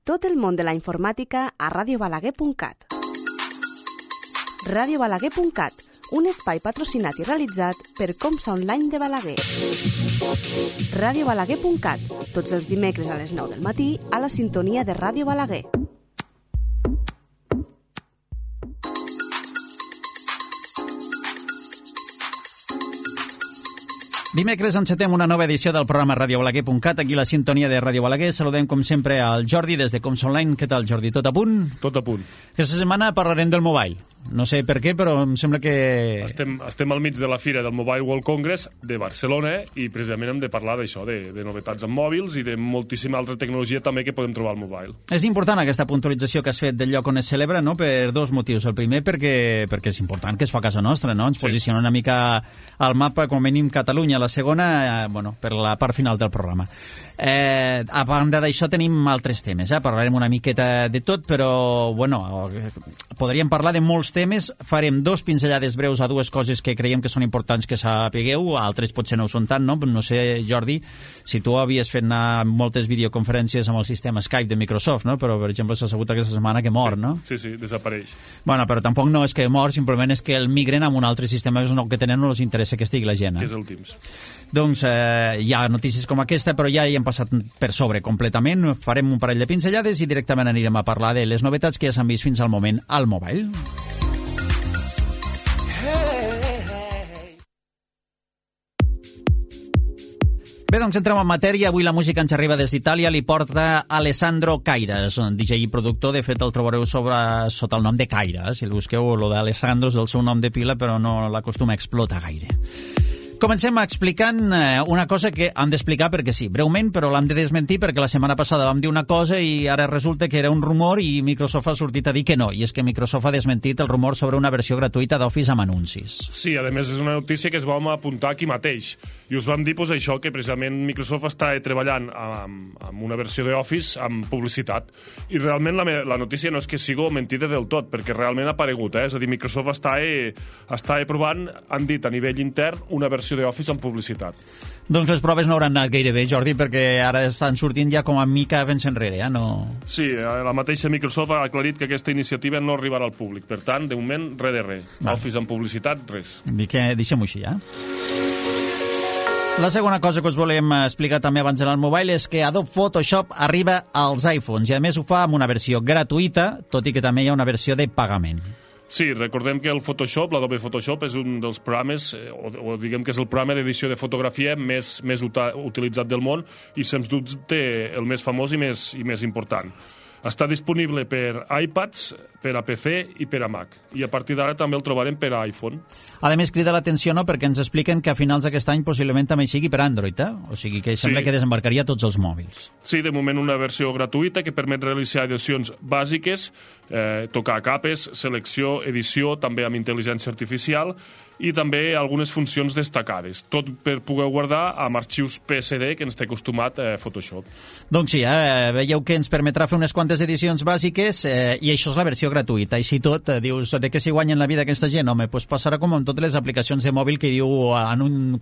Tot el món de la informàtica a radiobalaguer.cat. radiobalaguer.cat, un espai patrocinat i realitzat per Comsa Online de Balaguer. radiobalaguer.cat, tots els dimecres a les 9 del matí a la sintonia de Ràdio Balaguer. Dimecres encetem una nova edició del programa radiobalaguer.cat, aquí la sintonia de Ràdio Balaguer. Saludem, com sempre, al Jordi des de Comsa Online. Què tal, Jordi? Tot a punt? Tot a punt. Aquesta setmana parlarem del mobile. No sé per què, però em sembla que... Estem al mig de la fira del Mobile World Congress de Barcelona i precisament hem de parlar d'això, de novetats en mòbils i de moltíssima altra tecnologia també que podem trobar al mobile. És important aquesta puntualització que has fet del lloc on es celebra, no? Per dos motius. El primer, perquè és important que es fa a casa nostra, no? Ens posiciona una mica al mapa, com a mínim Catalunya. La segona, per la part final del programa. A banda d'això tenim altres temes, parlarem una miqueta de tot, però podríem parlar de molts temes. Farem dos pinzellades breus a dues coses que creiem que són importants que sapigueu, altres potser no ho són tant, no? No sé, Jordi, si tu havies fet anar moltes videoconferències amb el sistema Skype de Microsoft, no? Però, per exemple, s'ha sabut aquesta setmana que mor, no? Sí, desapareix. Però tampoc no és que mor, simplement és que el migren amb un altre sistema que tenen, no els interessa que estigui la gent. Que és el Teams. Doncs hi ha notícies com aquesta, però ja hi hem passat per sobre completament. Farem un parell de pinzellades i directament anirem a parlar de les novetats que ja s'han vist fins al moment al mobile. Bé, doncs entrem en matèria. Avui la música ens arriba des d'Itàlia, li porta Alessandro Caires, un DJ i productor. De fet, el trobareu sota el nom de Caire. Si el busqueu, lo d'Alessandro és el seu nom de pila, però no l'acostuma a explotar gaire. Comencem explicant una cosa que hem d'explicar perquè sí, breument, però l'hem de desmentir perquè la setmana passada vam dir una cosa i ara resulta que era un rumor i Microsoft ha sortit a dir que no, i és que Microsoft ha desmentit el rumor sobre una versió gratuïta d'Office amb anuncis. Sí, a més és una notícia que es vam apuntar aquí mateix i us vam dir això, que precisament Microsoft està treballant amb una versió d'Office amb publicitat i realment la notícia no és que sigui mentida del tot, perquè realment ha aparegut, és a dir, Microsoft està provant, han dit a nivell intern, una versió d'Office amb publicitat. Doncs les proves no hauran anat gaire bé, Jordi, perquè ara estan sortint ja com a mica vents enrere, no? Sí, la mateixa Microsoft ha aclarit que aquesta iniciativa no arribarà al públic. Per tant, de moment, res de res. Office amb publicitat, res. Deixem-ho així, La segona cosa que us volem explicar també abans d'anar al mobile és que Adobe Photoshop arriba als iPhones i a més ho fa amb una versió gratuïta, tot i que també hi ha una versió de pagament. Sí, recordem que el Photoshop, l'Adobe Photoshop, és un dels programes, o diguem que és el programa d'edició de fotografia més utilitzat del món i, sens dubte, el més famós i més important. Està disponible per iPads, per a PC i per a Mac. I a partir d'ara també el trobarem per a iPhone. A més, crida l'atenció, no?, perquè ens expliquen que a finals d'aquest any possiblement també sigui per Android, O sigui que sembla que desembarcaria tots els mòbils. Sí, de moment una versió gratuïta que permet realitzar edicions bàsiques, tocar capes, selecció, edició, també amb intel·ligència artificial i també algunes funcions destacades. Tot per poder guardar amb arxius PSD que ens té acostumat Photoshop. Doncs sí, veieu que ens permetrà fer unes quantes edicions bàsiques i això és la versió gratuïta. Així tot, dius, de què s'hi guanyen la vida aquesta gent? Home, doncs passarà com amb totes les aplicacions de mòbil que diu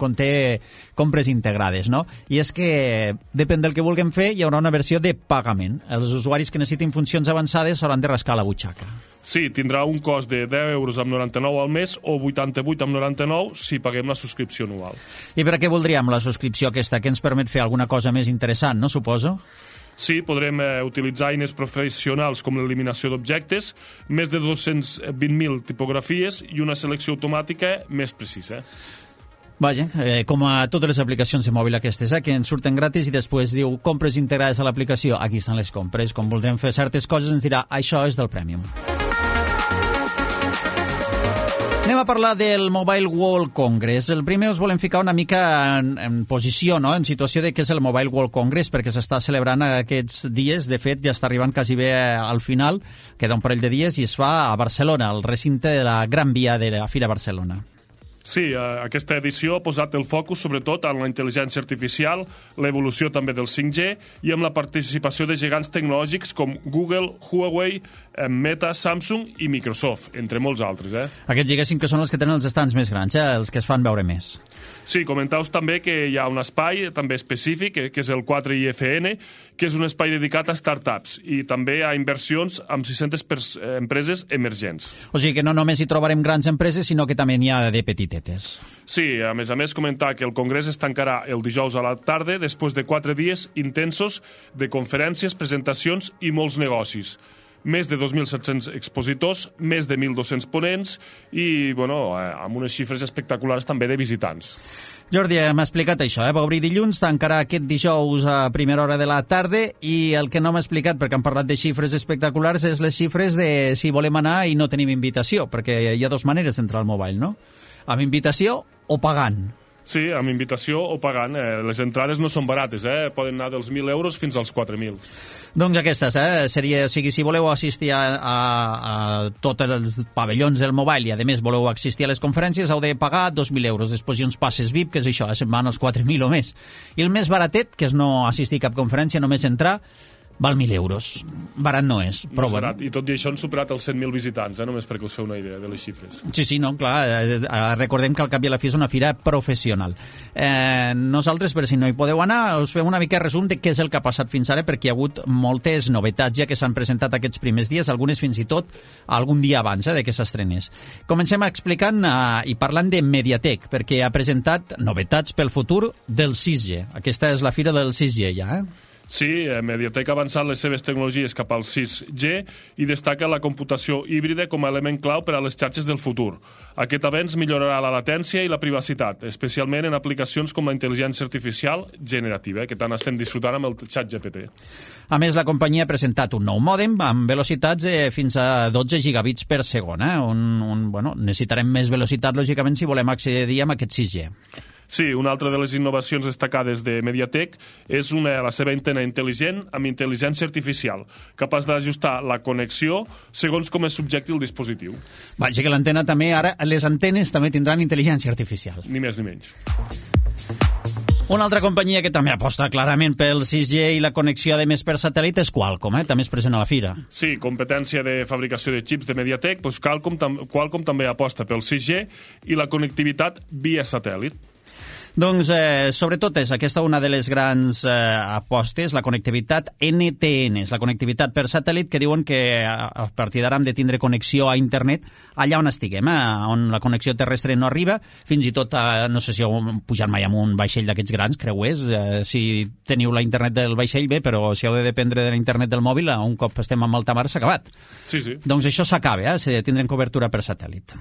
conté compres integrades, no? I és que, depèn del que vulguem fer, hi haurà una versió de pagament. Els usuaris que necessitin funcions avançades s'hauran de rascar la butxaca. Sí, tindrà un cost de 10 euros amb 99 al mes o 88 amb 99 si paguem la subscripció anual. I per a què voldríem la subscripció aquesta? Que ens permet fer alguna cosa més interessant, no, suposo? Sí, podrem utilitzar eines professionals com l'eliminació d'objectes, més de 220.000 tipografies i una selecció automàtica més precisa. Vaja, com a totes les aplicacions de mòbil aquestes, que ens surten gratis i després diu compres integrades a l'aplicació. Aquí estan les compres. Com voldrem fer certes coses ens dirà això és del Premium. Anem a parlar del Mobile World Congress. El primer us volem ficar una mica en posició, no?, en situació de què és el Mobile World Congress, perquè s'està celebrant aquests dies. De fet, ja està arribant quasi bé al final, queda un parell de dies, i es fa a Barcelona, al recinte de la Gran Via de la Fira Barcelona. Sí, aquesta edició ha posat el focus sobretot en la intel·ligència artificial, l'evolució també del 5G i amb la participació de gegants tecnològics com Google, Huawei, Meta, Samsung i Microsoft, entre molts altres. Aquests, diguéssim, que són els que tenen els estants més grans, els que es fan veure més. Sí, comentau també que hi ha un espai també específic, que és el 4IFN, que és un espai dedicat a startups i també a inversions amb 600 empreses emergents. O sigui que no només hi trobarem grans empreses, sinó que també n'hi ha de petitetes. Sí, a més, comentar que el Congrés es tancarà el dijous a la tarda després de 4 dies intensos de conferències, presentacions i molts negocis. Més de 2.700 expositors, més de 1.200 ponents i, amb unes xifres espectaculars també de visitants. Jordi, m'ha explicat això, va obrir dilluns, tancarà aquest dijous a primera hora de la tarda i el que no m'ha explicat, perquè han parlat de xifres espectaculars, és les xifres de si volem anar i no tenim invitació, perquè hi ha dues maneres d'entrar al mobile, no? Amb invitació o pagant. Sí, amb invitació o pagant. Les entrades no són barates, poden anar dels 1.000 euros fins als 4.000. Doncs aquestes, seria, o sigui, si voleu assistir a tots els pavellons del mobile i, a més, voleu assistir a les conferències, heu de pagar 2.000 euros. Després hi ha uns passes VIP, que és això, se'n van als 4.000 o més. I el més baratet, que és no assistir a cap conferència, només entrar, val 1.000 euros. Barat no és, però no és barat. I tot i això han superat els 100.000 visitants, només perquè us feu una idea de les xifres. Sí, no, clar, recordem que al cap i a la fi és una fira professional. Nosaltres, per si no hi podeu anar, us fem una mica resum de què és el que ha passat fins ara, perquè hi ha hagut moltes novetats ja que s'han presentat aquests primers dies, algunes fins i tot algun dia abans de que s'estrenés. Comencem explicant i parlant de Mediatek, perquè ha presentat novetats pel futur del 6G. Aquesta és la fira del 6G ja, Sí, Mediatek ha avançat les seves tecnologies cap al 6G i destaca la computació híbrida com a element clau per a les xarxes del futur. Aquest avenç millorarà la latència i la privacitat, especialment en aplicacions com la intel·ligència artificial generativa, que tant estem disfrutant amb el ChatGPT. A més, la companyia ha presentat un nou mòdem amb velocitats fins a 12 gigabits per segon. Necessitarem més velocitat, lògicament, si volem accedir a aquest 6G. Sí, una altra de les innovacions destacades de Mediatek és la seva antena intel·ligent amb intel·ligència artificial, capaç d'ajustar la connexió segons com es subjecti el dispositiu. Vaja, que l'antena també, ara les antenes també tindran intel·ligència artificial. Ni més ni menys. Una altra companyia que també aposta clarament pel 6G i la connexió, de més per satèl·lit, és Qualcomm, també és present a la fira. Sí, competència de fabricació de xips de Mediatek, Qualcomm també aposta pel 6G i la connectivitat via satèl·lit. Doncs, sobretot, és aquesta una de les grans apostes, la connectivitat NTN, la connectivitat per satèl·lit, que diuen que a partir d'ara hem de tindre connexió a internet allà on estiguem, on la connexió terrestre no arriba, fins i tot, no sé si heu pujat mai amb un vaixell d'aquests grans creuers, si teniu la internet del vaixell, bé, però si heu de dependre de la internet del mòbil, un cop estem en alta mar s'ha acabat. Sí. Doncs això s'acaba, tindrem cobertura per satèl·lit.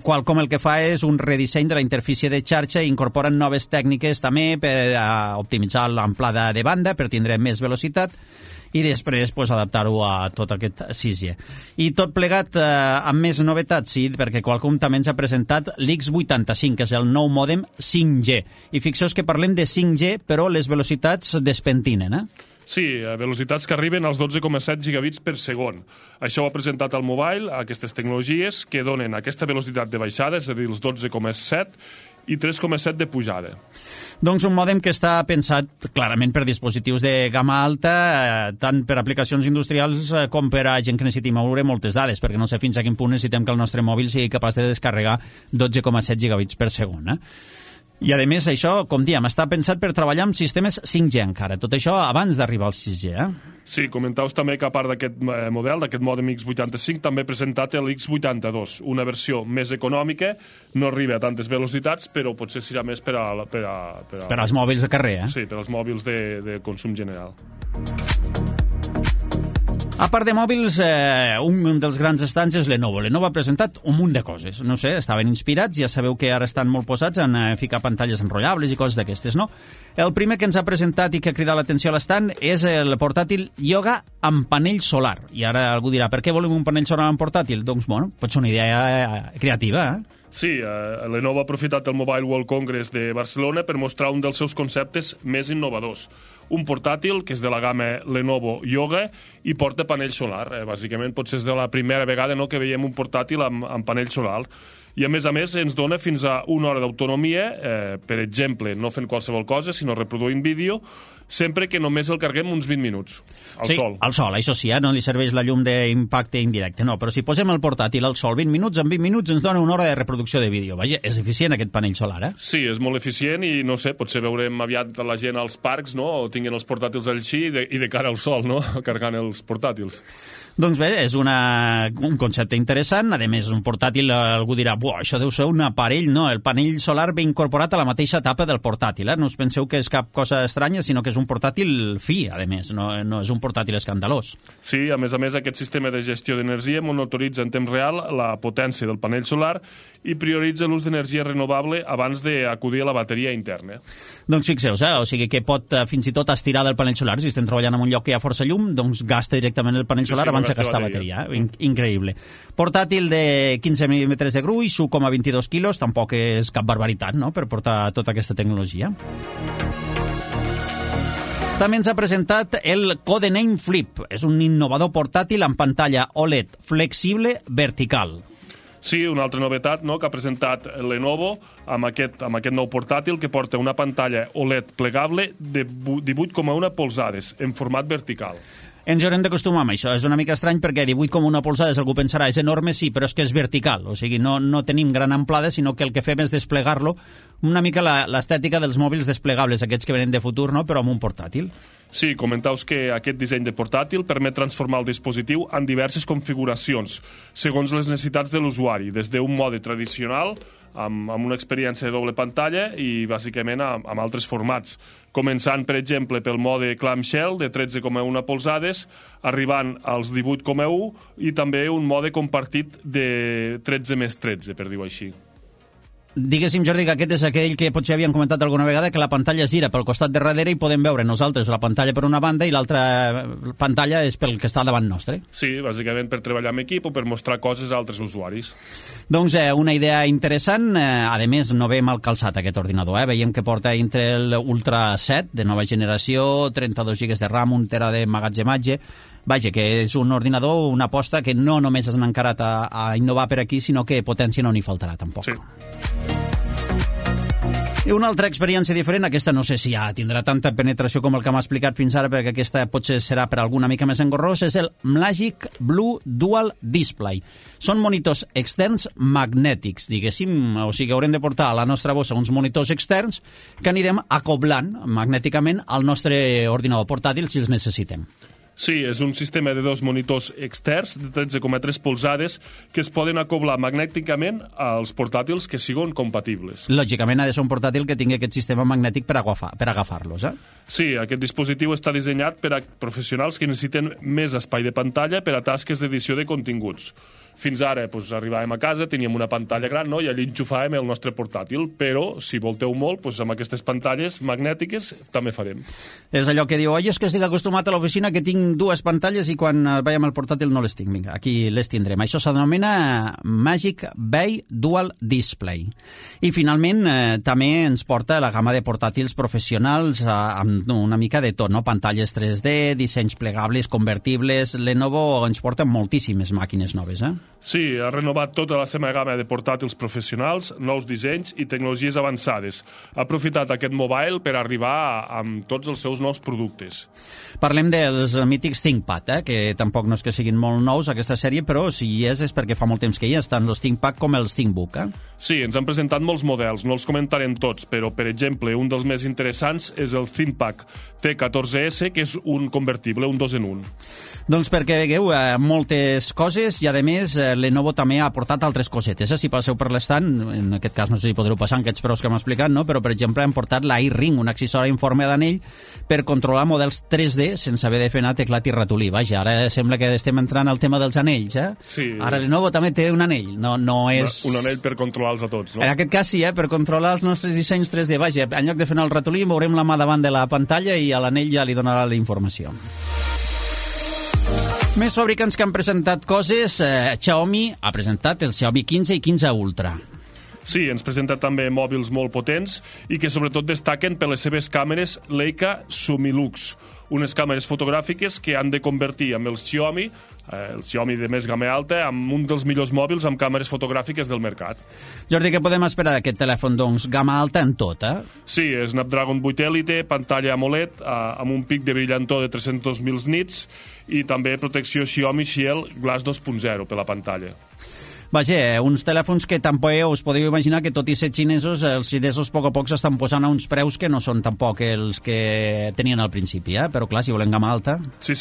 Qualcomm el que fa és un redisseny de la interfície de xarxa i incorporen noves tècniques també per optimitzar l'amplada de banda, per tindre més velocitat i després adaptar-ho a tot aquest 6G. I tot plegat amb més novetats, sí, perquè Qualcomm també ens ha presentat l'X85, que és el nou mòdem 5G. I fixeu-vos que parlem de 5G, però les velocitats despentinen, Sí, velocitats que arriben als 12,7 gigabits per segon. Això ho ha presentat el mobile, aquestes tecnologies que donen aquesta velocitat de baixada, és a dir, els 12,7 i 3,7 de pujada. Doncs un mòdem que està pensat clarament per dispositius de gamma alta, tant per aplicacions industrials com per a gent que necessiti moure moltes dades, perquè no sé fins a quin punt necessitem que el nostre mòbil sigui capaç de descarregar 12,7 gigabits per segon, I, a més, això, com diem, està pensat per treballar amb sistemes 5G encara. Tot això abans d'arribar al 6G, Sí, comentaus també que a part d'aquest model, d'aquest mòdem X85, també ha presentat l'X82, una versió més econòmica, no arriba a tantes velocitats, però potser serà més per als mòbils de carrer, Sí, per als mòbils de consum general. A part de mòbils, un dels grans estants és Lenovo. Lenovo ha presentat un munt de coses. No sé, estaven inspirats, ja sabeu que ara estan molt posats en ficar pantalles enrotllables i coses d'aquestes, no? El primer que ens ha presentat i que ha cridat l'atenció a l'estant és el portàtil Yoga amb panell solar. I ara algú dirà, per què volem un panell solar en portàtil? Doncs, pot ser una idea creativa, Sí, Lenovo ha aprofitat el Mobile World Congress de Barcelona per mostrar un dels seus conceptes més innovadors. Un portàtil que és de la gamma Lenovo Yoga i porta panell solar. Bàsicament, potser és de la primera vegada que veiem un portàtil amb panell solar. I a més ens dona fins a 1 hora d'autonomia, per exemple, no fent qualsevol cosa, sinó reproduint vídeo, sempre que només el carreguem uns 20 minuts al sol. Al sol, això sí, no li serveix la llum d'impacte indirecte, no, però si posem el portàtil al sol 20 minuts, en 20 minuts ens dona 1 hora de reproducció de vídeo. Vaja, és eficient aquest panell solar, eh? Sí, és molt eficient i, no sé, potser veurem aviat la gent als parcs, no?, o tinguin els portàtils així i de cara al sol, no?, carregant els portàtils. Doncs bé, és un concepte interessant. A més, un portàtil, algú dirà, això deu ser un aparell. No, el panell solar ve incorporat a la mateixa tapa del portàtil. No us penseu que és cap cosa estranya, sinó que és un portàtil fi, a més. No és un portàtil escandalós. Sí, a més, aquest sistema de gestió d'energia monitoritza en temps real la potència del panell solar i prioritza l'ús d'energia renovable abans d'acudir a la bateria interna. Doncs fixeu-vos, o sigui que pot fins i tot estirar del panell solar. Si estem treballant en un lloc que hi ha força llum, doncs gasta directament el panell solar abans de gastar bateria. Increïble. Portàtil de 15 mil·límetres de gruix, 1,22 quilos, tampoc és cap barbaritat, no?, per portar tota aquesta tecnologia. També ens ha presentat el Codename Flip. És un innovador portàtil amb pantalla OLED flexible vertical. Sí, una altra novetat, no?, que ha presentat Lenovo amb aquest nou portàtil que porta una pantalla OLED plegable de 18,1 polzades en format vertical. Ens haurem d'acostumar amb això. És una mica estrany perquè 18,1 polzades, algú pensarà, és enorme, sí, però és que és vertical. O sigui, no tenim gran amplada, sinó que el que fem és desplegar-lo, una mica l'estètica dels mòbils desplegables, aquests que venen de futur, no?, però amb un portàtil. Sí, comentaus que aquest disseny de portàtil permet transformar el dispositiu en diverses configuracions, segons les necessitats de l'usuari, des d'un mode tradicional, amb una experiència de doble pantalla i, bàsicament, amb altres formats. Començant, per exemple, pel mode clamshell de 13,1 polzades, arribant als 18,1 i també un mode compartit de 13+13, per dir-ho així. Diguéssim, Jordi, que aquest és aquell que potser havíem comentat alguna vegada, que la pantalla es gira pel costat de darrere i podem veure nosaltres la pantalla per una banda i l'altra pantalla és pel que està davant nostre. Sí, bàsicament per treballar en equip o per mostrar coses a altres usuaris. Doncs una idea interessant. A més, no ve mal calçat aquest ordinador. Veiem que porta Intel Ultra 7 de nova generació, 32 GB de RAM, 1 tera de magatzematge. Vaja, que és un ordinador, una aposta que no només s'han encarat a innovar per aquí, sinó que potència no n'hi faltarà tampoc. Sí. I una altra experiència diferent, aquesta no sé si ja tindrà tanta penetració com el que m'ha explicat fins ara, perquè aquesta potser serà per alguna mica més engorrós, és el Magic Blue Dual Display. Són monitors externs magnètics, diguéssim, o sigui, haurem de portar a la nostra bossa uns monitors externs que anirem acoblant magnèticament al nostre ordinador portàtil si els necessitem. Sí, és un sistema de 2 monitors externs de 13,3 polzades que es poden acoblar magnèticament als portàtils que siguin compatibles. Lògicament ha de ser un portàtil que tingui aquest sistema magnètic per agafar-los, eh? Sí, aquest dispositiu està dissenyat per a professionals que necessiten més espai de pantalla per a tasques d'edició de continguts. Fins ara arribàvem a casa, teníem una pantalla gran, no?, i allí enxufàvem el nostre portàtil, però si volteu molt, amb aquestes pantalles magnètiques també farem. És allò que diu, oi, és que estic acostumat a l'oficina que tinc 2 pantalles i quan vaig amb el portàtil no les tinc. Vinga, aquí les tindrem. Això s'anomena Magic Bay Dual Display. I finalment també ens porta la gamma de portàtils professionals amb una mica de tot, no? Pantalles 3D, dissenys plegables, convertibles. Lenovo ens porta moltíssimes màquines noves, eh? Sí, ha renovat tota la seva gamma de portàtils professionals, nous dissenys i tecnologies avançades. Ha aprofitat aquest mobile per arribar amb tots els seus nous productes. Parlem dels mítics ThinkPad, que tampoc no és que siguin molt nous aquesta sèrie, però si hi és perquè fa molt temps que hi és, tant els ThinkPad com els ThinkBook. Sí, ens han presentat molts models, no els comentarem tots, però, per exemple, un dels més interessants és el ThinkPad T14S, que és un convertible, un 2 en 1. Doncs perquè vegueu moltes coses i, a més, Lenovo també ha aportat altres cosetes. Si passeu per l'estant, en aquest cas no sé si podreu passar en aquests preus que hem explicat, no? Però, per exemple, hem portat l'iRing, un accessori en forma d'anell per controlar models 3D sense haver de fer anar teclat i ratolí. Vaja, ara sembla que estem entrant al tema dels anells, eh? Sí. Ara Lenovo també té un anell, no és... Un anell per controlar-los a tots, no? En aquest cas sí, per controlar els nostres dissenys 3D. Vaja, en lloc de fer anar el ratolí, mourem la mà davant de la pantalla i a l'anell ja li donarà la informació. Més fabricants que han presentat coses. Xiaomi ha presentat el Xiaomi 15 i 15 Ultra. Sí, ens presenta també mòbils molt potents i que sobretot destaquen per les seves càmeres Leica Sumilux, unes càmeres fotogràfiques que han de convertir amb el Xiaomi de més gamma alta, en un dels millors mòbils amb càmeres fotogràfiques del mercat. Jordi, què podem esperar d'aquest telèfon, doncs? Gamma alta en tot, Sí, Snapdragon 8 Elite, pantalla AMOLED, amb un pic de brillantor de 300.000 nits i també protecció Xiaomi Shield Glass 2.0 per la pantalla. Vaja, uns telèfons que tampoc us podeu imaginar que tot i ser xinesos, els xinesos a poc s'estan posant a uns preus que no són tampoc els que tenien al principi, però clar, si volen gamma alta... Sí,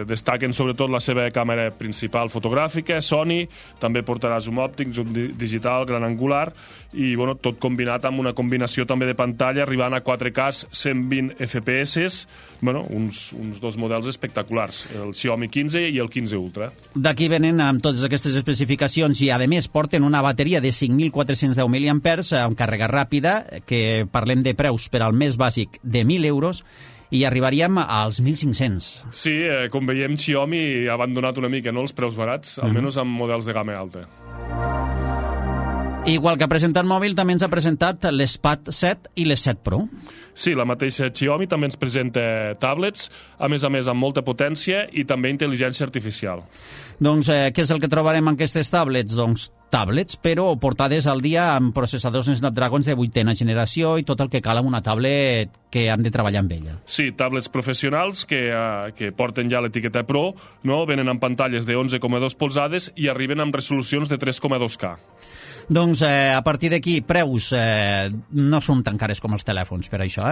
destaquen sobretot la seva càmera principal fotogràfica, Sony, també portarà zoom òptic, zoom digital, gran angular, i bueno, tot combinat amb una combinació també de pantalla, arribant a 4K 120 FPS, bueno, uns dos models espectaculars, el Xiaomi 15 i el 15 Ultra. D'aquí venen amb totes aquestes especificacions i a més porten una bateria de 5.410 mAh amb càrrega ràpida, que parlem de preus per al més bàsic de 1.000 euros i arribaríem als 1.500. Sí, com veiem, Xiaomi ha abandonat una mica, no?, els preus barats, almenys amb models de gamma alta. Igual que ha presentat mòbil, també ens ha presentat l'Spad 7 i l'S7 Pro. Sí, la mateixa Xiaomi també ens presenta tablets, a més amb molta potència i també intel·ligència artificial. Doncs què és el que trobarem en aquestes tablets? Doncs tablets, però portades al dia amb processadors Snapdragon de 8ª generació i tot el que cal amb una tablet que han de treballar amb ella. Sí, tablets professionals que porten ja l'etiqueta Pro, no? Venen amb pantalles de 11,2 polzades i arriben amb resolucions de 3,2K. Doncs a partir d'aquí, preus no són tan cares com els telèfons per això,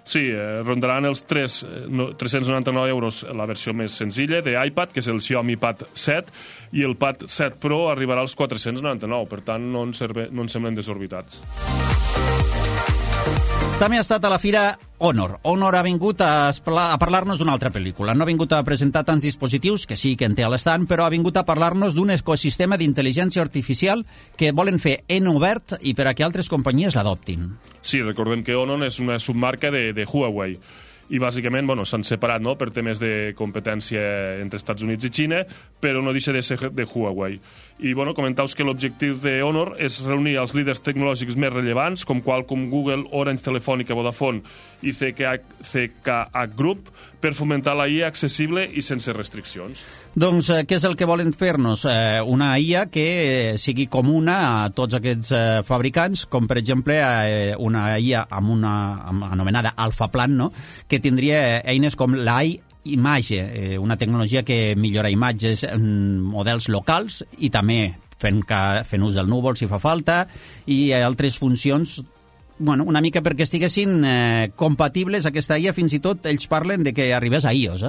Sí, rondaran els 399 euros la versió més senzilla d'iPad, que és el Xiaomi Pad 7, i el Pad 7 Pro arribarà als 499, per tant no ens semblen desorbitats. També ha estat a la fira Honor. Honor ha vingut a parlar-nos d'una altra pel·lícula. No ha vingut a presentar tants dispositius, que sí que en té a l'estand, però ha vingut a parlar-nos d'un ecosistema d'intel·ligència artificial que volen fer en obert i per a que altres companyies l'adoptin. Sí, recordem que Honor és una submarca de Huawei i bàsicament s'han separat, no?, per temes de competència entre Estats Units i Xina, però no deixa de ser de Huawei. I comentaus que l'objectiu de Honor és reunir els líders tecnològics més rellevants, com Qualcomm, Google, Orange, Telefònica, Vodafone i CKH Group, per fomentar la IA accessible i sense restriccions. Doncs què és el que volen fer-nos? Una IA que sigui comuna a tots aquests fabricants, com per exemple una IA amb una anomenada Alphaplan, no?, que tindria eines com l'iMage, una tecnologia que millora imatges en models locals i també fent ús del núvol si fa falta, i altres funcions, una mica perquè estiguessin compatibles aquesta IA. Fins i tot ells parlen de que arribés a iOS.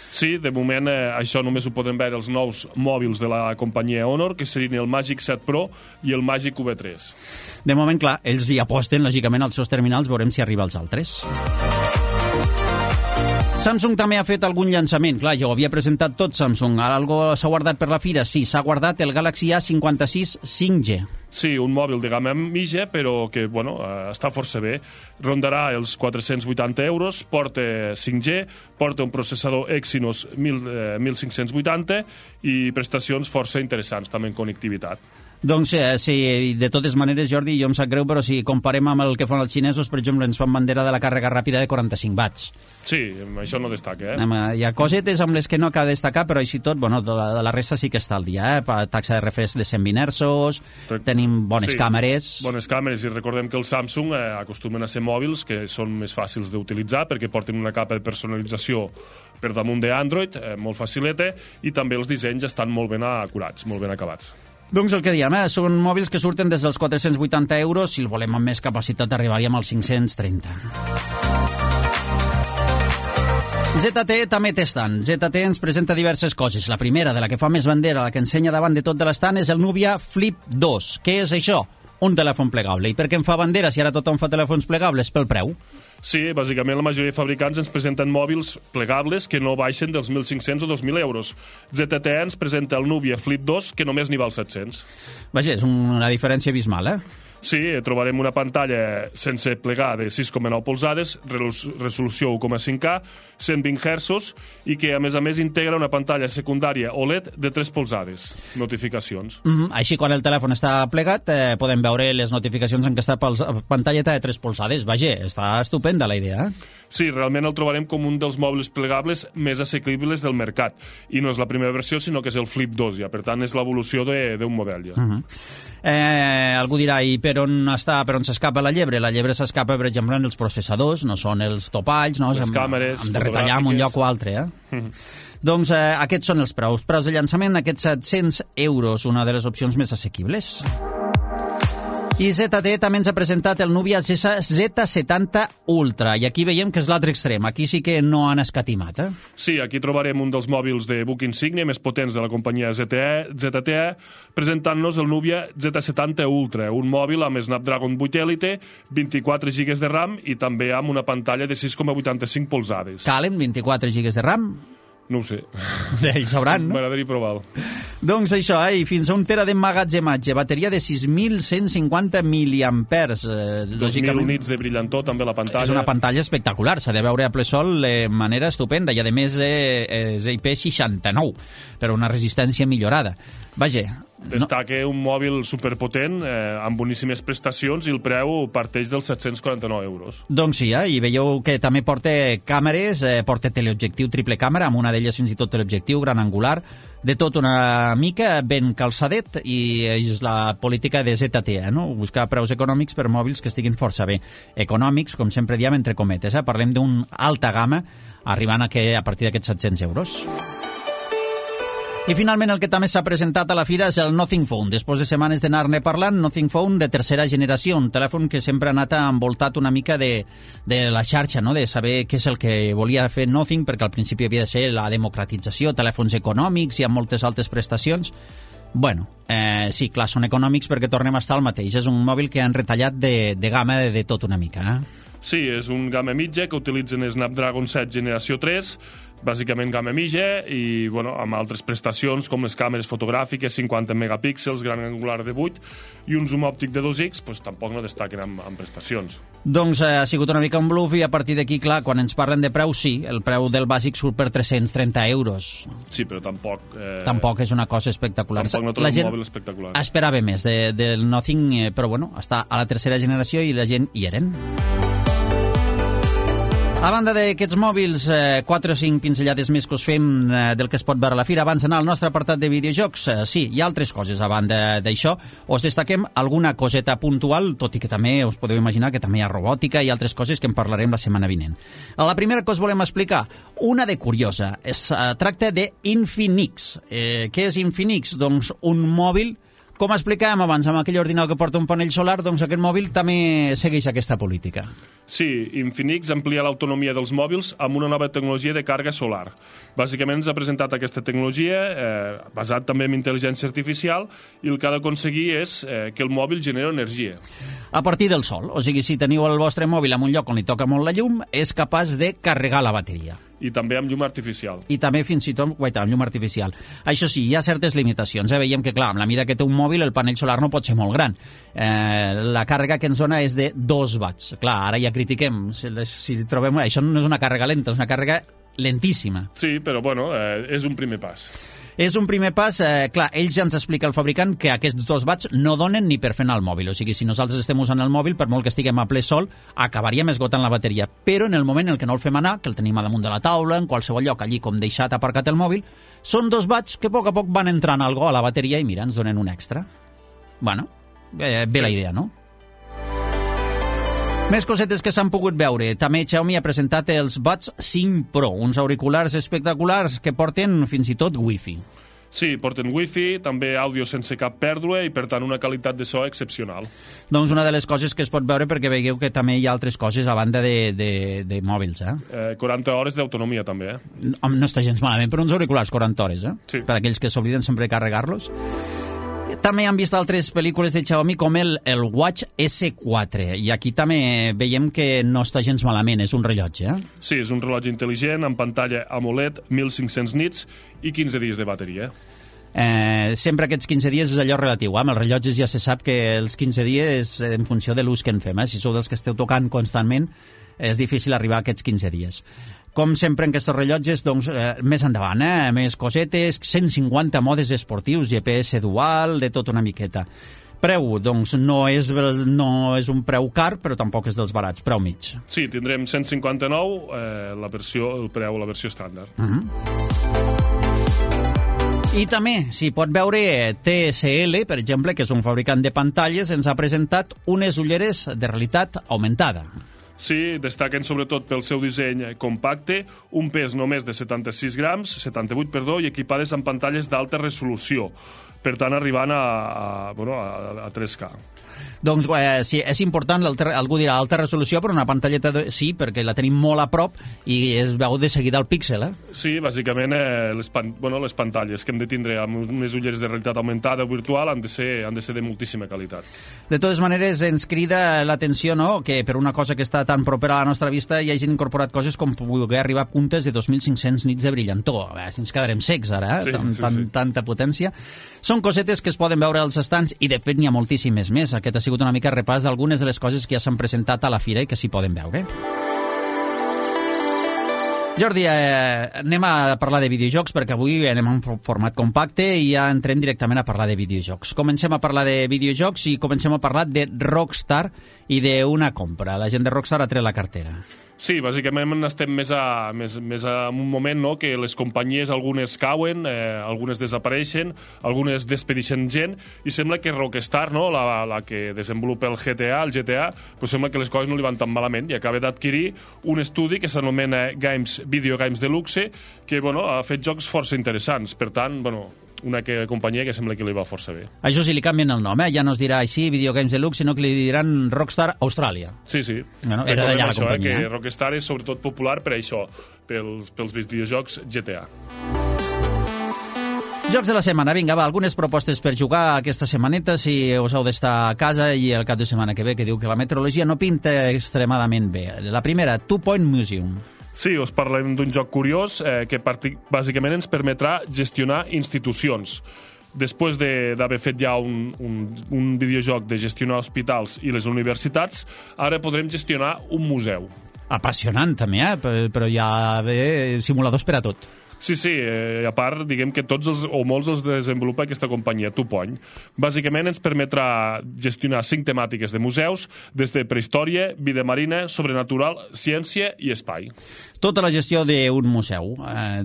Sí, de moment això només ho poden veure els nous mòbils de la companyia Honor, que serien el Magic 7 Pro i el Magic V3. De moment, clar, ells hi aposten, lògicament, als seus terminals, veurem si arriba als altres. Samsung també ha fet algun llançament. Clar, ja ho havia presentat tot Samsung. Ara algo s'ha guardat per la fira? Sí, s'ha guardat el Galaxy A56 5G. Sí, un mòbil de gamma mitja, però que, està força bé. Rondarà els 480 euros, porta 5G, porta un processador Exynos 1580 i prestacions força interessants, també en connectivitat. Doncs sí, de totes maneres, Jordi, jo em sap greu, però si comparem amb el que fan els xinesos, per exemple, ens fan bandera de la càrrega ràpida de 45 watts. Sí, això no destaca, Hi ha cosetes amb les que no acaba de destacar, però així tot, de la resta sí que està al dia, Taxa de refresc de 120 hertzos, tenim bones càmeres. Bones càmeres, i recordem que els Samsung acostumen a ser mòbils que són més fàcils d'utilitzar perquè porten una capa de personalització per damunt d'Android, molt facileta, i també els dissenys estan molt ben acurats, molt ben acabats. Doncs el que diem, són mòbils que surten des dels 480 euros, si el volem amb més capacitat arribaríem als 530. ZTE també té stand. ZTE ens presenta diverses coses. La primera, de la que fa més bandera, la que ensenya davant de tot de l'estand, és el Nubia Flip 2. Què és això? Un telèfon plegable. I per què en fa bandera si ara tothom fa telèfons plegables? Pel preu. Sí, bàsicament la majoria de fabricants ens presenten mòbils plegables que no baixen dels 1.500 o 2.000 euros. ZTE ens presenta el Nubia Flip 2, que només n'hi val 700. Vaja, és una diferència abismal, Sí, trobarem una pantalla sense plegar de 6,9 polzades, resolució 1,5K, 120 Hz i que, a més, integra una pantalla secundària OLED de 3 polzades. Notificacions. Així, quan el telèfon està plegat, podem veure les notificacions en què està pantalleta de 3 polzades. Vaja, està estupenda la idea, Sí, realment el trobarem com un dels mòbils plegables més assequibles del mercat. I no és la primera versió, sinó que és el Flip 2, ja. Per tant, és l'evolució d'un model, ja. Algú dirà, i per on s'escapa la llebre? La llebre s'escapa, per exemple, en els processadors, no són els topalls, no? Les càmeres hem de retallar en un lloc o altre, Doncs aquests són els preus. Preus de llançament, aquests 700 €, una de les opcions més assequibles. I ZTE també ens ha presentat el Nubia Z70 Ultra, i aquí veiem que és l'altre extrem. Aquí sí que no han escatimat, Sí, aquí trobarem un dels mòbils de buc insígnia més potents de la companyia ZTE, presentant-nos el Nubia Z70 Ultra, un mòbil amb Snapdragon 8 Elite, 24 GB de RAM i també amb una pantalla de 6,85 polzades. Calen 24 GB de RAM? No ho sé. Ells sabran, no? M'agradaria provar-ho. Doncs això, i fins a 1 tera d'emmagatzematge, bateria de 6.150 miliampers. 2.000 nits de brillantor, també la pantalla. És una pantalla espectacular, s'ha de veure a ple sol de manera estupenda, i a més és IP69, però una resistència millorada. Vaja... Destaca un mòbil superpotent, amb boníssimes prestacions, i el preu parteix dels 749 €. Doncs sí, i veieu que també porta càmeres, porta teleobjectiu triple càmera, amb una d'elles fins i tot teleobjectiu gran angular, de tot una mica ben calçadet, i és la política de ZTE, no? Buscar preus econòmics per mòbils que estiguin força bé. Econòmics, com sempre diem, entre cometes, Parlem d'un alta gamma, arribant a partir d'aquests 700 €. I finalment el que també s'ha presentat a la fira és el Nothing Phone. Després de setmanes d'anar-ne parlant, Nothing Phone de tercera generació, un telèfon que sempre ha anat envoltat una mica de la xarxa, no? De saber què és el que volia fer Nothing, perquè al principi havia de ser la democratització, telèfons econòmics i amb moltes altres prestacions. Bueno, sí, clar, són econòmics perquè tornem a estar al mateix. És un mòbil que han retallat de gamma de tot una mica, Sí, és un gamma mitja que utilitzen Snapdragon 7 generació 3, bàsicament gamma mitja, i amb altres prestacions com les càmeres fotogràfiques, 50 megapíxels, gran angular de 8, i un zoom òptic de 2x, tampoc no destaquen amb prestacions. Doncs ha sigut una mica un bluff, i a partir d'aquí, clar, quan ens parlen de preu, sí, el preu del bàsic surt per 330 €. Sí, però tampoc... Tampoc és una cosa espectacular. Tampoc no trobem un mòbil espectacular. Esperava més del Nothing, però està a la tercera generació i la gent hi eren. A banda d'aquests mòbils, 4 o 5 pinzellades més que us fem del que es pot veure a la fira abans d'anar al nostre apartat de videojocs. Sí, hi ha altres coses a banda d'això. Us destaquem alguna coseta puntual, tot i que també us podeu imaginar que també hi ha robòtica i altres coses que en parlarem la setmana vinent. La primera que us volem explicar, una de curiosa, es tracta d'Infinix. Què és Infinix? Doncs un mòbil, com explicàvem abans amb aquell ordinador que porta un panell solar, doncs aquest mòbil també segueix aquesta política. Sí, Infinix amplia l'autonomia dels mòbils amb una nova tecnologia de càrrega solar. Bàsicament ens ha presentat aquesta tecnologia basat també en intel·ligència artificial, i el que ha d'aconseguir és que el mòbil generi energia. A partir del sol, o sigui, si teniu el vostre mòbil en un lloc on li toca molt la llum, és capaç de carregar la bateria. I també amb llum artificial. I també fins i tot, amb llum artificial. Això sí, hi ha certes limitacions. Veiem que, clar, amb la mida que té un mòbil, el panell solar no pot ser molt gran. La càrrega que ens dona és de 2 watts. Clar, ara ja critiquem. Si trobem... Això no és una càrrega lenta, és una càrrega lentíssima. Sí, però, és un primer pas. És un primer pas, clar, ells ja ens explica el fabricant que aquests 2 watts no donen ni per fer anar el mòbil, o sigui, si nosaltres estem usant el mòbil, per molt que estiguem a ple sol, acabaríem esgotant la bateria, però en el moment en què no el fem anar, que el tenim a damunt de la taula, en qualsevol lloc, allí com deixat aparcat el mòbil, són 2 watts que a poc van entrant algo a la bateria i mira, ens donen un extra. Bueno, bé la idea, no? Més cosetes que s'han pogut veure. També Xiaomi ha presentat els Buds 5 Pro, uns auriculars espectaculars que porten fins i tot Wi-Fi. Sí, porten Wi-Fi, també àudio sense cap pèrdua i, per tant, una qualitat de so excepcional. Doncs una de les coses que es pot veure, perquè veieu que també hi ha altres coses a banda de mòbils, 40 hores d'autonomia, també, No està gens malament, però uns auriculars 40 hores, Sí. Per aquells que s'obliden sempre de carregar-los. També han vist altres pel·lícules de Xiaomi com el Watch S4, i aquí també veiem que no està gens malament, és un rellotge, Sí, és un rellotge intel·ligent amb pantalla AMOLED, 1.500 nits i 15 dies de bateria. Sempre aquests 15 dies és allò relatiu, amb els rellotges ja se sap que els 15 dies en funció de l'ús que en fem, si sou dels que esteu tocant constantment és difícil arribar a aquests 15 dies. Com sempre en aquests rellotges, doncs, més endavant, més cosetes, 150 modes esportius, GPS dual, de tot una miqueta. Preu, doncs no és un preu car, però tampoc és dels barats, preu mig. Sí, tindrem 159, la versió estàndard. I també s'hi pot veure TSL, per exemple, que és un fabricant de pantalles, ens ha presentat unes ulleres de realitat augmentada. Sí, destaquen sobretot pel seu disseny compacte, un pes només de 76 grams, 78, perdó, i equipades amb pantalles d'alta resolució, per tant arribant a 3K. Doncs sí, és important, algú dirà alta resolució, però una pantalleta sí, perquè la tenim molt a prop i es veu de seguida el píxel, Sí, bàsicament les pantalles que hem de tindre amb unes ulleres de realitat augmentada o virtual han de ser de moltíssima qualitat. De totes maneres, ens crida l'atenció, no?, que per una cosa que està tan propera a la nostra vista hi hagin incorporat coses com poder arribar a puntes de 2.500 nits de brillantor. Si ens quedarem secs ara, tanta potència. Són cosetes que es poden veure als estants i de fet n'hi ha moltíssimes més. Aquest ha sigut una mica repàs d'algunes de les coses que ja s'han presentat a la fira i que s'hi poden veure. Jordi, anem a parlar de videojocs perquè avui anem en format compacte i ja entrem directament a parlar de videojocs. Comencem a parlar de videojocs i comencem a parlar de Rockstar i d'una compra. La gent de Rockstar ha tret la cartera. Sí, bàsicament estem més en un moment, no?, que les companyies, algunes cauen, algunes desapareixen, algunes despedixen gent, i sembla que Rockstar, no?, la que desenvolupa el GTA, pues sembla que les coses no li van tan malament i acaba d'adquirir un estudi que s'anomena Video Games Deluxe, que ha fet jocs força interessants. Per tant, una companyia que sembla que li va força bé. Això sí, li canvien el nom, ja no es dirà així Video Games Deluxe, sinó que li diran Rockstar Austràlia. Sí. Bueno, era d'allà la companyia. Que Rockstar és sobretot popular per això, pels videojocs GTA. Jocs de la setmana, vinga, va, algunes propostes per jugar aquesta setmaneta, si us heu d'estar a casa i el cap de setmana que ve, que diu que la meteorologia no pinta extremadament bé. La primera, Two Point Museum. Sí, us parlem d'un joc curiós que bàsicament ens permetrà gestionar institucions. Després d'haver fet ja un videojoc de gestionar hospitals i les universitats, ara podrem gestionar un museu. Apassionant, també, però hi ha simuladors per a tot. Sí, a part, diguem que molts els desenvolupa aquesta companyia, Two Point. Bàsicament ens permetrà gestionar 5 temàtiques de museus, des de prehistòria, vida marina, sobrenatural, ciència i espai. Tota la gestió d'un museu.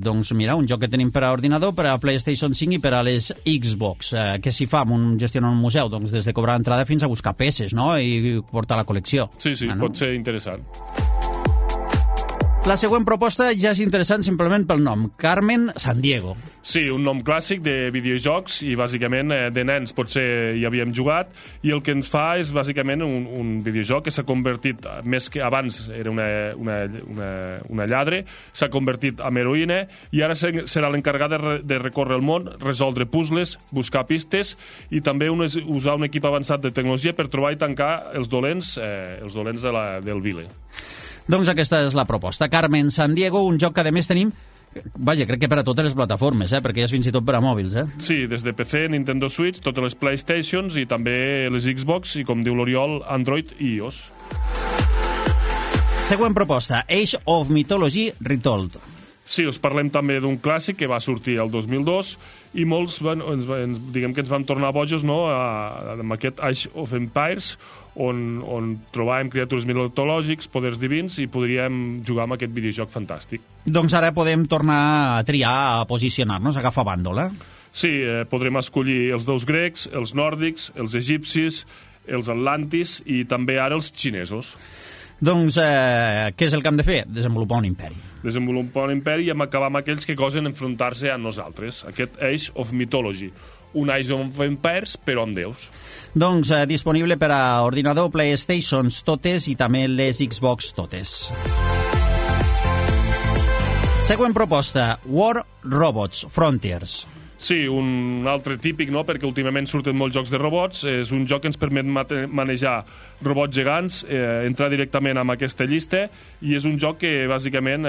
Doncs mira, un joc que tenim per a ordinador, per a PlayStation 5 i per a les Xbox. Què s'hi fa amb gestionar un museu? Doncs des de cobrar entrada fins a buscar peces, no?, i portar la col·lecció. Sí, pot ser interessant. La següent proposta ja és interessant simplement pel nom, Carmen Sandiego. Sí, un nom clàssic de videojocs i bàsicament de nens potser hi havíem jugat, i el que ens fa és bàsicament un videojoc que s'ha convertit, més que abans era una lladre, s'ha convertit en heroïna i ara serà l'encarregat de recórrer el món, resoldre puzzles, buscar pistes i també usar un equip avançat de tecnologia per trobar i tancar els dolents del vile. Doncs aquesta és la proposta. Carmen Sandiego, un joc que a més tenim, crec que per a totes les plataformes, perquè és fins i tot per a mòbils. Sí, des de PC, Nintendo Switch, totes les PlayStations i també les Xbox i, com diu l'Oriol, Android i iOS. Següent proposta, Age of Mythology Retold. Sí, us parlem també d'un clàssic que va sortir el 2002 i molts, diguem que ens vam tornar bojos, no?, amb aquest Age of Empires, on trobàvem criatures mitològics, poders divins, i podríem jugar amb aquest videojoc fantàstic. Doncs ara podem tornar a triar, a posicionar-nos, a agafar bàndol, Sí, podrem escollir els déus grecs, els nòrdics, els egipcis, els atlantis i també ara els xinesos. Doncs què és el que hem de fer? Desenvolupar un imperi. Desenvolupar un imperi i acabar amb aquells que gosen enfrontar-se a nosaltres. Aquest Age of Mythology. Un Age of Empires, però amb déus. Doncs disponible per a ordinador, PlayStations totes i també les Xbox totes. Següent proposta, War Robots Frontiers. Sí, un altre típic, no?, perquè últimament surten molts jocs de robots. És un joc que ens permet manejar robots gegants, entrar directament en aquesta llista, i és un joc que bàsicament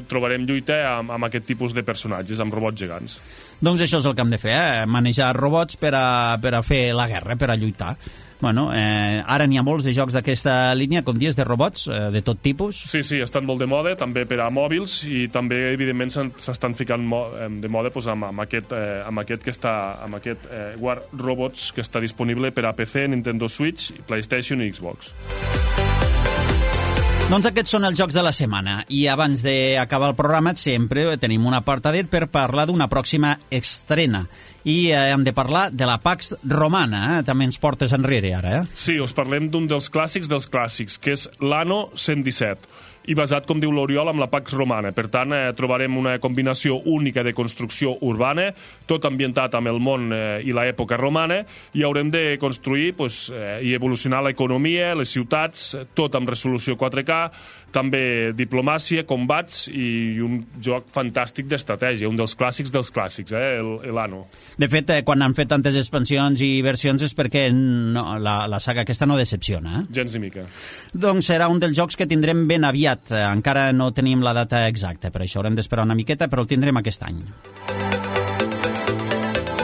trobarem lluita amb aquest tipus de personatges, amb robots gegants. Doncs això és el que hem de fer, manejar robots per a fer la guerra, per a lluitar. Bueno, ara n'hi ha molts de jocs d'aquesta línia, com dius, de robots, de tot tipus. Sí, estan molt de moda, també per a mòbils, i també, evidentment, s'estan ficant de moda amb aquest War Robots que està disponible per a PC, Nintendo Switch, PlayStation i Xbox. Doncs aquests són els jocs de la setmana, i abans d'acabar el programa sempre tenim un apartadet per parlar d'una pròxima estrena. I hem de parlar de la Pax Romana, també ens portes enrere ara. Sí, us parlem d'un dels clàssics, que és l'Anno 117, i basat, com diu l'Oriol, amb la Pax Romana. Per tant, trobarem una combinació única de construcció urbana, tot ambientat amb el món i l'època romana, i haurem de construir i evolucionar l'economia, les ciutats, tot amb resolució 4K, també diplomàcia, combats i un joc fantàstic d'estratègia, un dels clàssics, l'Anno. De fet, quan han fet tantes expansions i versions és perquè la saga aquesta no decepciona. Gens ni mica. Doncs serà un dels jocs que tindrem ben aviat. Encara no tenim la data exacta, per això haurem d'esperar una miqueta, però el tindrem aquest any.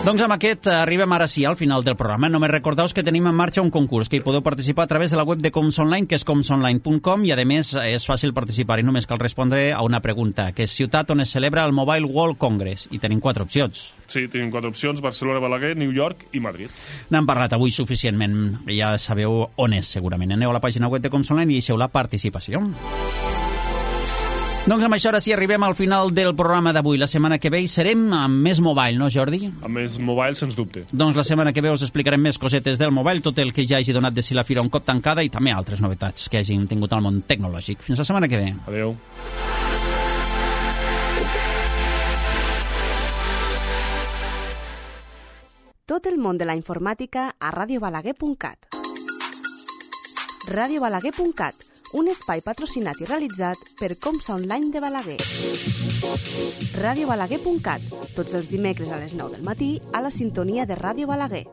Doncs amb aquest arribem ara sí al final del programa. Només recordeu que tenim en marxa un concurs que hi podeu participar a través de la web de Coms Online, que és comsonline.com, i a més és fàcil participar i només cal respondre a una pregunta, que és ciutat on es celebra el Mobile World Congress, i tenim 4 opcions. Sí, tenim 4 opcions: Barcelona, Balaguer, New York i Madrid. N'hem parlat avui suficientment, ja sabeu on és segurament. Aneu a la pàgina web de Coms Online i deixeu la participació. Doncs amb això ara sí arribem al final del programa d'avui. La setmana que ve hi serem amb més mobile, no, Jordi? Amb més mobile, sens dubte. Doncs la setmana que ve us explicarem més cosetes del mobile, tot el que ja hagi donat de si la fira un cop tancada i també altres novetats que hagin tingut al món tecnològic. Fins la setmana que ve. Adéu. Tot el món de la informàtica a radiobalaguer.cat. radiobalaguer.cat, un espai patrocinat i realitzat per Comsa Online de Balaguer. radiobalaguer.cat, tots els dimecres a les 9 del matí a la sintonia de Ràdio Balaguer.